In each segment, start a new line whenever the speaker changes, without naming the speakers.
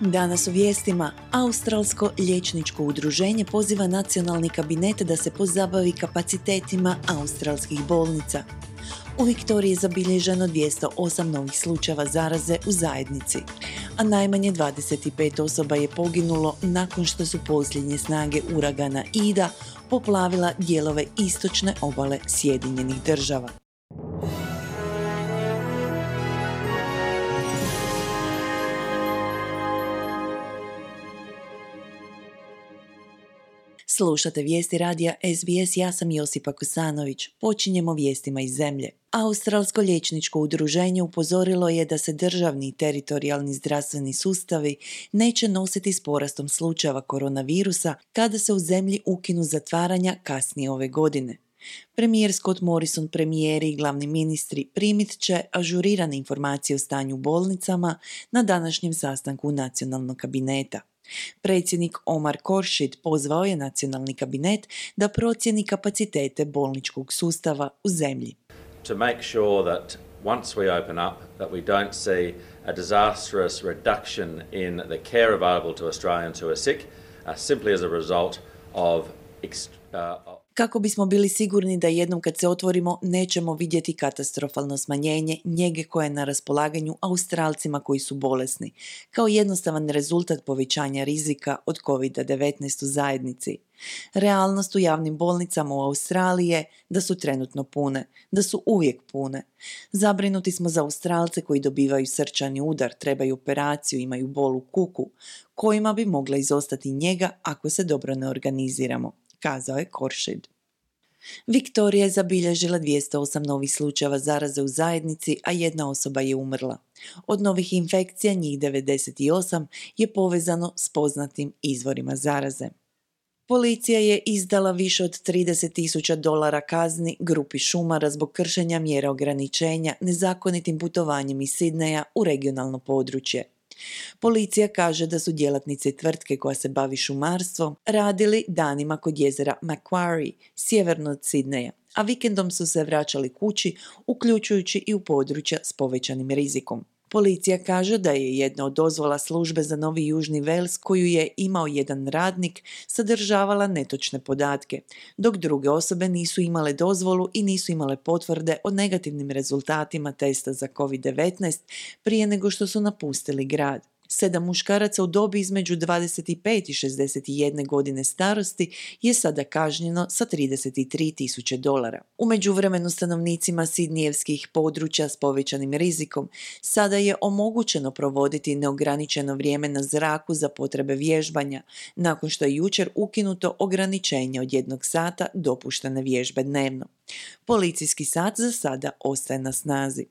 Danas u vijestima, Australsko liječničko udruženje poziva nacionalni kabinet da se pozabavi kapacitetima australskih bolnica. U Viktoriji je zabilježeno 208 novih slučajeva zaraze u zajednici, a najmanje 25 osoba je poginulo nakon što su posljednje snage uragana Ida poplavila dijelove istočne obale Sjedinjenih Država. Slušate vijesti radija SBS, ja sam Josipa Kosanović. Počinjemo vijestima iz zemlje. Australsko liječničko udruženje upozorilo je da se državni i teritorijalni zdravstveni sustavi neće nositi s porastom slučajeva koronavirusa kada se u zemlji ukinu zatvaranja kasnije ove godine. Premijer Scott Morrison, premijeri i glavni ministri primit će ažurirane informacije o stanju u bolnicama na današnjem sastanku nacionalnog kabineta. Predsjednik Omar Khorshid pozvao je nacionalni kabinet da procijeni kapacitete bolničkog sustava u zemlji.
To make sure that once we open up that we don't see a disastrous reduction in the care available to Australians who are sick simply as a result of
Kako bismo bili sigurni da jednom kad se otvorimo nećemo vidjeti katastrofalno smanjenje njege koje je na raspolaganju Australcima koji su bolesni, kao jednostavan rezultat povećanja rizika od COVID-19 u zajednici. Realnost u javnim bolnicama u Australiji je da su trenutno pune, da su uvijek pune. Zabrinuti smo za Australce koji dobivaju srčani udar, trebaju operaciju, imaju bol u kuku, kojima bi mogla izostati njega ako se dobro ne organiziramo, kazao je Khorshid. Viktorija je zabilježila 208 novih slučajeva zaraze u zajednici, a jedna osoba je umrla. Od novih infekcija njih 98 je povezano s poznatim izvorima zaraze. Policija je izdala više od $30,000 kazni grupi šumara zbog kršenja mjera ograničenja nezakonitim putovanjem iz Sidneja u regionalno područje. Policija kaže da su djelatnici tvrtke koja se bavi šumarstvom radili danima kod jezera Macquarie, sjeverno od Sidneja, a vikendom su se vraćali kući, uključujući i u područja s povećanim rizikom. Policija kaže da je jedna od dozvola službe za Novi Južni Wales koju je imao jedan radnik sadržavala netočne podatke, dok druge osobe nisu imale dozvolu i nisu imale potvrde o negativnim rezultatima testa za COVID-19 prije nego što su napustili grad. 7 muškaraca u dobi između 25 i 61 godine starosti je sada kažnjeno sa $33,000. U međuvremenu stanovnicima sidnijevskih područja s povećanim rizikom sada je omogućeno provoditi neograničeno vrijeme na zraku za potrebe vježbanja, nakon što je jučer ukinuto ograničenje od 1 sata dopuštene vježbe dnevno. Policijski sat za sada ostaje na snazi.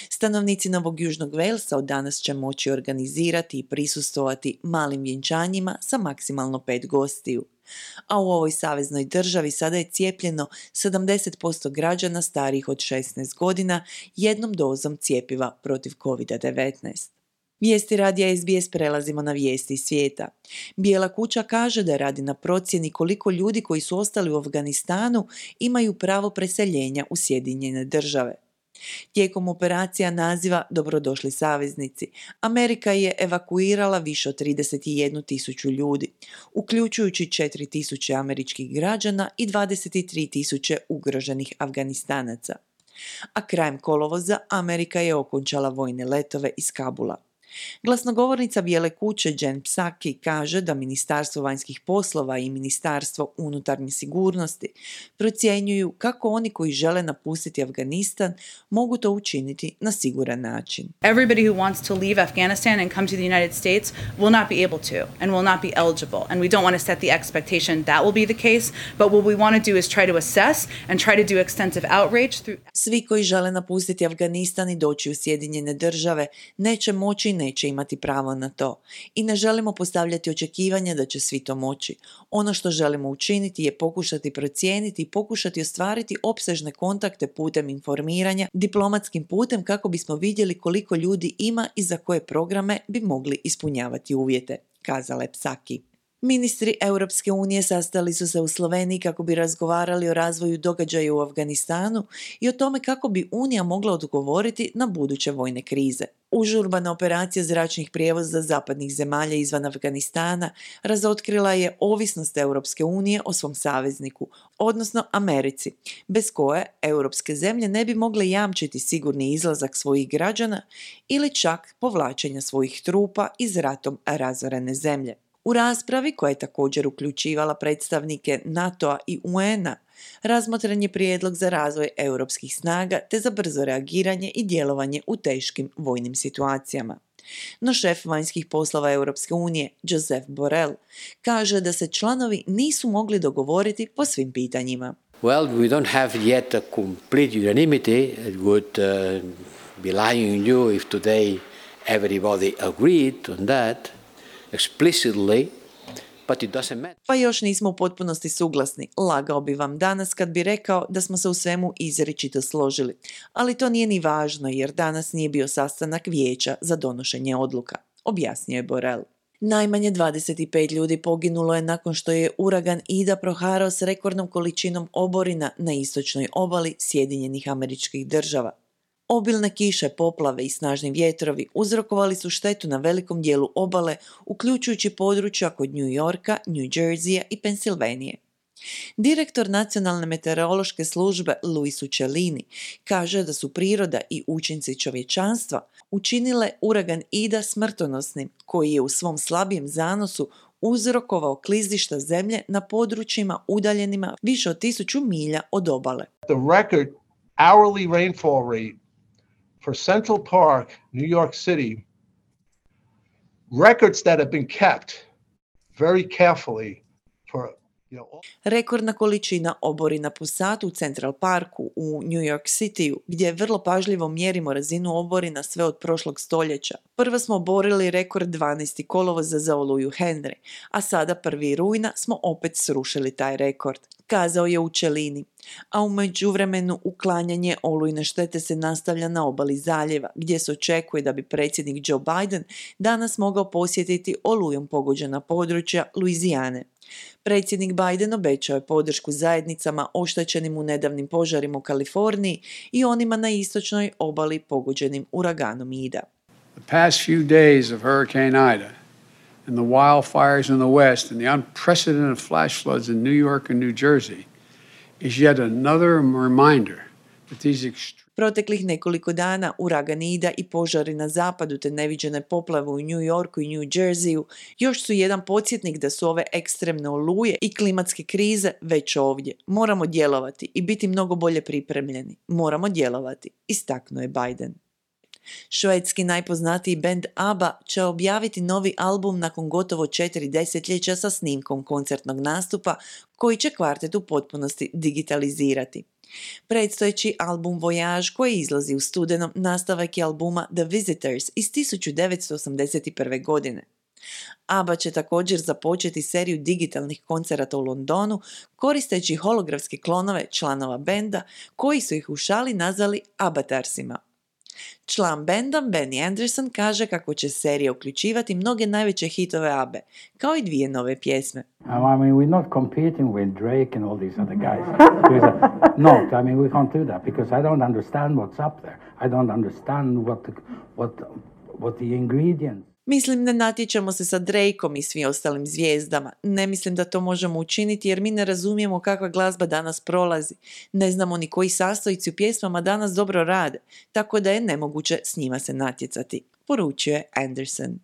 Stanovnici Novog Južnog Walesa od danas će moći organizirati i prisustvovati malim vjenčanjima sa maksimalno 5 gostiju. A u ovoj saveznoj državi sada je cijepljeno 70% građana starijih od 16 godina jednom dozom cjepiva protiv COVID-19. Vijesti radija SBS prelazimo na vijesti iz svijeta. Bijela kuća kaže da radi na procjeni koliko ljudi koji su ostali u Afganistanu imaju pravo preseljenja u Sjedinjene Države. Tijekom operacija naziva Dobrodošli saveznici, Amerika je evakuirala više od 31.000 ljudi, uključujući 4.000 američkih građana i 23.000 ugroženih Afganistanaca. A krajem kolovoza Amerika je okončala vojne letove iz Kabula. Glasnogovornica Bijele kuće Jen Psaki kaže da Ministarstvo vanjskih poslova i Ministarstvo unutarnje sigurnosti procjenjuju kako oni koji žele napustiti Afganistan mogu to učiniti na siguran način.
Everybody who wants to leave Afghanistan and come to the United States will not be able to and will not be eligible, and we don't want to set the expectation that will be the case, but what we want to do is try to assess and try to do extensive outreach through.
Svi koji žele napustiti Afganistan i doći u Sjedinjene Države neće moći i neće imati pravo na to. I ne želimo postavljati očekivanja da će svi to moći. Ono što želimo učiniti je pokušati procijeniti i pokušati ostvariti opsežne kontakte putem informiranja, diplomatskim putem kako bismo vidjeli koliko ljudi ima i za koje programe bi mogli ispunjavati uvjete, kazala je Psaki. Ministri Europske unije sastali su se u Sloveniji kako bi razgovarali o razvoju događaja u Afganistanu i o tome kako bi Unija mogla odgovoriti na buduće vojne krize. Užurbana operacija zračnih prijevoza zapadnih zemalja izvan Afganistana razotkrila je ovisnost Europske unije o svom savezniku, odnosno Americi, bez koje europske zemlje ne bi mogle jamčiti sigurni izlazak svojih građana ili čak povlačenja svojih trupa iz ratom razorene zemlje. U raspravi, koja je također uključivala predstavnike NATO-a i UN-a, razmotren je prijedlog za razvoj europskih snaga te za brzo reagiranje i djelovanje u teškim vojnim situacijama. No šef vanjskih poslova Europske unije, Josep Borrell, kaže da se članovi nisu mogli dogovoriti po svim pitanjima.
Well, we don't have yet a complete unanimity. It would be lying on you if today everybody agreed on that explicitly, but it doesn't matter.
Pa još nismo u potpunosti suglasni. Lagao bi vam danas kad bi rekao da smo se u svemu izričito složili. Ali to nije ni važno jer danas nije bio sastanak vijeća za donošenje odluka, objasnio je Borrell. Najmanje 25 ljudi poginulo je nakon što je uragan Ida proharao s rekordnom količinom oborina na istočnoj obali Sjedinjenih Američkih Država. Obilne kiše, poplave i snažni vjetrovi uzrokovali su štetu na velikom dijelu obale, uključujući područja kod New Yorka, New Jerseya i Pensilvanije. Direktor Nacionalne meteorološke službe Luis Uccellini kaže da su priroda i učinci čovječanstva učinile uragan Ida smrtonosnim, koji je u svom slabijem zanosu uzrokovao klizišta zemlje na područjima udaljenima više od 1000 milja od obale.
The record hourly rainfall rate for Central Park, New York City, records that have been kept very carefully for
Rekordna količina oborina po satu u Central Parku u New York Cityu, gdje vrlo pažljivo mjerimo razinu oborina sve od prošlog stoljeća. Prvo smo oborili rekord 12. kolovoza za oluju Henry, a sada 1. rujna smo opet srušili taj rekord, kazao je Uccellini. A u međuvremenu uklanjanje olujne štete se nastavlja na obali zaljeva, gdje se očekuje da bi predsjednik Joe Biden danas mogao posjetiti olujom pogođena područja Luizijane. Predsjednik Biden obećao je podršku zajednicama oštećenim u nedavnim požarima u Kaliforniji i onima na istočnoj obali pogođenim uraganom Ida.
The past few days of Hurricane Ida and the wildfires in the west and the unprecedented flash floods in New York and New Jersey is yet another reminder that these
Proteklih nekoliko dana uragan Ida i požari na zapadu te neviđene poplave u New Yorku i New Jerseyu još su jedan podsjetnik da su ove ekstremne oluje i klimatske krize već ovdje. Moramo djelovati i biti mnogo bolje pripremljeni. Moramo djelovati, istaknuo je Biden. Švedski najpoznatiji bend ABBA će objaviti novi album nakon gotovo 4 desetljeća sa snimkom koncertnog nastupa koji će kvartet u potpunosti digitalizirati. Predstojeći album Voyage koji izlazi u studenom nastavak je albuma The Visitors iz 1981. godine. ABBA će također započeti seriju digitalnih koncerata u Londonu koristeći holografske klonove članova benda koji su ih u šali nazvali Abbatarsima. Član benda Benny Anderson kaže kako će serija uključivati mnoge najveće hitove ABBE, kao i 2 nove pjesme.
I mean, we're not competing with Drake and all these other guys. No, I mean, we can't do that because I don't understand what's up there. I don't understand what the ingredients.
Mislim, ne natječemo se sa Drakeom i svim ostalim zvijezdama. Ne mislim da to možemo učiniti jer mi ne razumijemo kakva glazba danas prolazi. Ne znamo ni koji sastojci u pjesmama danas dobro rade, tako da je nemoguće s njima se natjecati, poručio je Anderson.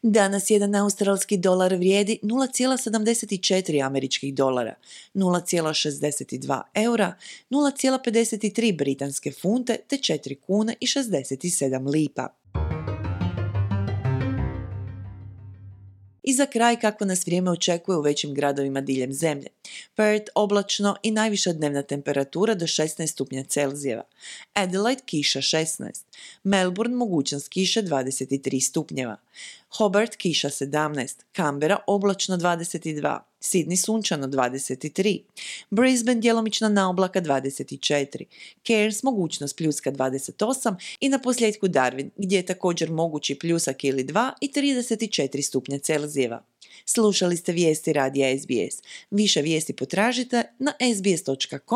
Danas jedan australski dolar vrijedi 0,74 američkih dolara, 0,62 eura, 0,53 britanske funte te 4 kune i 67 lipa. I za kraj kako nas vrijeme očekuje u većim gradovima diljem zemlje. Perth oblačno i najviša dnevna temperatura do 16 stupnja Celzijeva. Adelaide kiša 16. Melbourne mogućnost kiše 23 stupnjeva. Hobart kiša 17. Canberra oblačno 22. Sydney sunčano 23, Brisbane djelomična naoblaka 24, Cairns mogućnost pljuska 28 i na posljedku Darwin gdje je također mogući pljusak ili 2 i 34 stupnja Celzijeva. Slušali ste vijesti radija SBS. Više vijesti potražite na sbs.com.au/news.